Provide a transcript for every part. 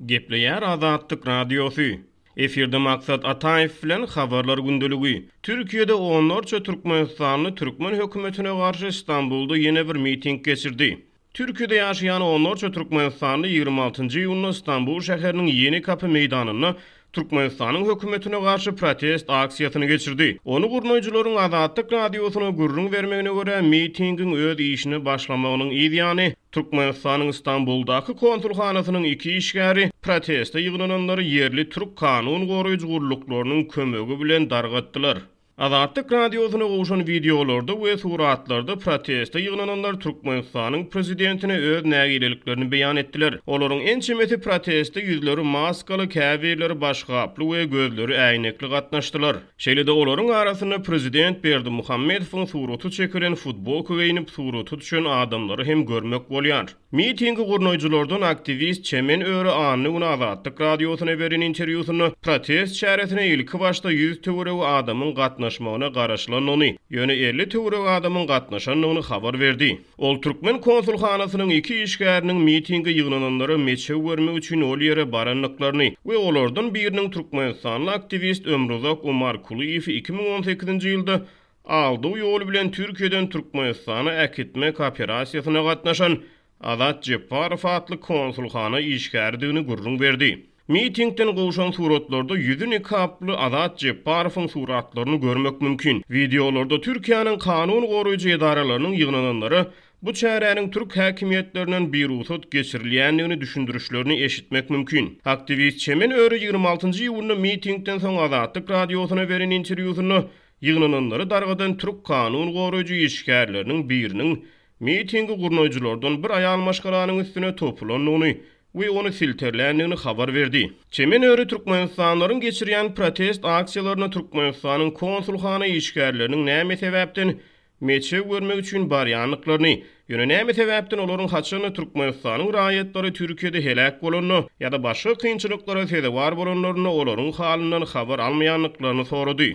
Gepleýär Azatlyk Radiosy. Efirde Maksat Ataýew bilen Habarlar gündeligi. Türkiýede onlarça türkmenistanly türkmen hökümetine garşy Stambulda ýene bir miting geçirdi. Türkiýede ýaşaýan onlarça türkmenistanly 26 iýunda Stambul şäheriniň Ýenikapy meýdanynda Türkmenistanyň hökümetine garşy protest aksiýasyny geçirdi. Ony gurnaýjylaryň Azatlyk Radiosyna gürrüň bermegine görä, mitingiň öz işine başlamagynyň yz ýany, Türkmenistanyň Stambuldaky konsulhanasynyň iki işgäri proteste ýygnananlary ýerli türk kanun goraýjy gulluklarynyň kömegi bilen dargatdylar. Azatlyk Radiosyna gowşan wideolarda we suratlarda proteste ýygnananlar Türkmenistanyň prezidentine öz nägileliklerini beýan etdiler. Olaryň ençemesi proteste ýüzleri maskaly, käbirleri başgaply we gözleri äýnekli gatnaşdylar. Şeýle-de olaryň arasynda prezident Berdimuhamedowyň suraty çekilen futbolka geýnip surata düşen adamlary hem görmek bolýar. Mitingi gurnaýjylardan aktiwist Çemen Öre anna güni Azatlyk Radiosyna beren interwýusynda protest çäresine ilkibaşda 100 töweregi adamyň gatnaşmagyna garaşylandygyny, ýöne 50 töweregi adamyň gatnaşandygyny habar berdi. Ol türkmen konsulhanasynyň iki işgäriniň mitinge ýygnananlara meçew bermek üçin ol ýere barandyklaryny we olardan biriniň türkmenistanly aktiwist Ömruzak Umarkulyýewi 2018-nji ýylda aldaw ýoly bilen Türkiýeden Türkmenistana äkitmek operasiýasyna gatnaşan Azat Jepbarow atly konsulhana işgäridigini gürrüň berdi. Mitingden gowşan suratlarda ýüzi nikaply Azat Jepbarowyň suratlaryny görmek mümkin. Wideolarda Türkiýäniň kanun goraýjy edaralarynyň ýygnananlara bu çäräniň türk häkimiýetlerinden birugsat geçirilýändigini düşündirişlerini eşitmek mümkin. Aktiwist Çemen Öre 26-njy iýunda mitingden soň Azatlyk Radiosyna beren interwýusynda ýygnananlary dargadan türk kanun goraýjy işgärleriniň biriniň mitingi gurnaýjylardan bir aýal maşgalanyň üstüne topulandygyny we ony silterländigini habar berdi. Çemen öri türkmenistanlylaryň geçirýän protest aksiýalaryna Türkmenistanyň konsulhana işgärleriniň näme sebäpden meçew görmek üçin barýandyklaryny, ýöne näme sebäpden olaryň haçanda Türkmenistanyň raýatlary Türkiýede heläk bolanda ýa-da başga kynçylyklara sezewar bolanlarynda olaryň halyndan habar almaýandyklaryny sorady.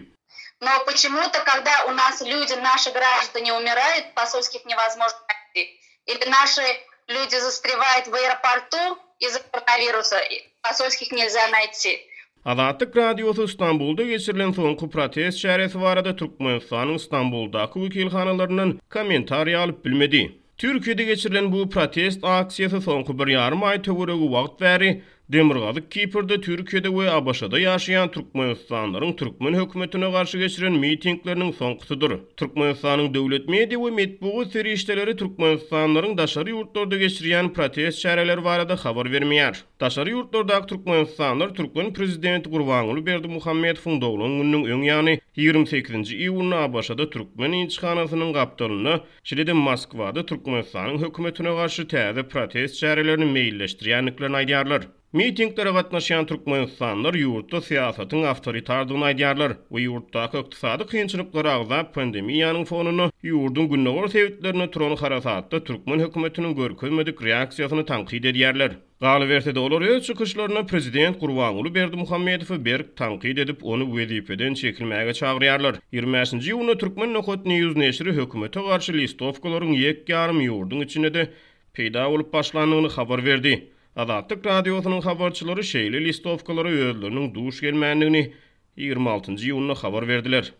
No poçemu-to kogda u nas lýudi naşi graždane umiraýut posolskih nevozmožno naýti ili naşi lýudi zastrewayut w aeroportu iz-za koronawirusa posolskih nelzýa naýti. Azatlyk Radiosy Stambulda geçirilen soňky protest çäresi barada Türkmenistanyň Stambuldaky wekilhanalaryndan kommentariý alyp bilmedi. Türkiýede geçirilen bu protest aksiýasy soňky bir ýarym aý töweregi wagt bäri Demirgazyk Kiprde, Türkiýede we ABŞ-da ýaşaýan türkmenistanlylaryň türkmen hökümetine garşy geçiren mitingleriniň soňkusydyr. Türkmenistanyň döwlet media we metbugat serişdeleri türkmenistanlylaryň daşary ýurtlarda geçirýän protest çäreleri barada habar bermeýär. Daşary ýurtlardaky türkmenistanlylar türkmen prezidenti Gurbanguly Berdimuhamedowyň doglan gününiň öň ýany 28-nji iýunda ABŞ-da türkmen ilçihanasynyň gapdalynda Şeýle-de Moskwada Türkmenistanyň hökümetine garşy täze protest çärelerini meýilleşdirýändiklerini aýdýarlar. Mitinglere gatnaşýan türkmenistanlylar ýurtda syýasatyň awtoritardygyny aýdýarlar we ýurtdaky ykdysady kynçylyklary agzap, pandemiýanyň fonunda ýurduň gündogar sebitlerinde turan harasatda türkmen hökümetiniň görkezmedik reaksiýasyny tankyt edýärler. Galyberse-de, olar öz çykyşlarynda prezident Gurbanguly Berdimuhamedowy berk tankyt edip, ony wezipeden çekilmäge çagyrýarlar. 25-nji iýunda Türkmen Nokat News neşiri hökümete garşy listowkalaryň ýek-ýarym ýurduň içinde-de peýda bolup başlandygyny habar berdi. Azatlyk Radiosynyň habarçylary şeýle listowkalara özleriniň duş gelmändigini 26-njy iýunda habar berdiler.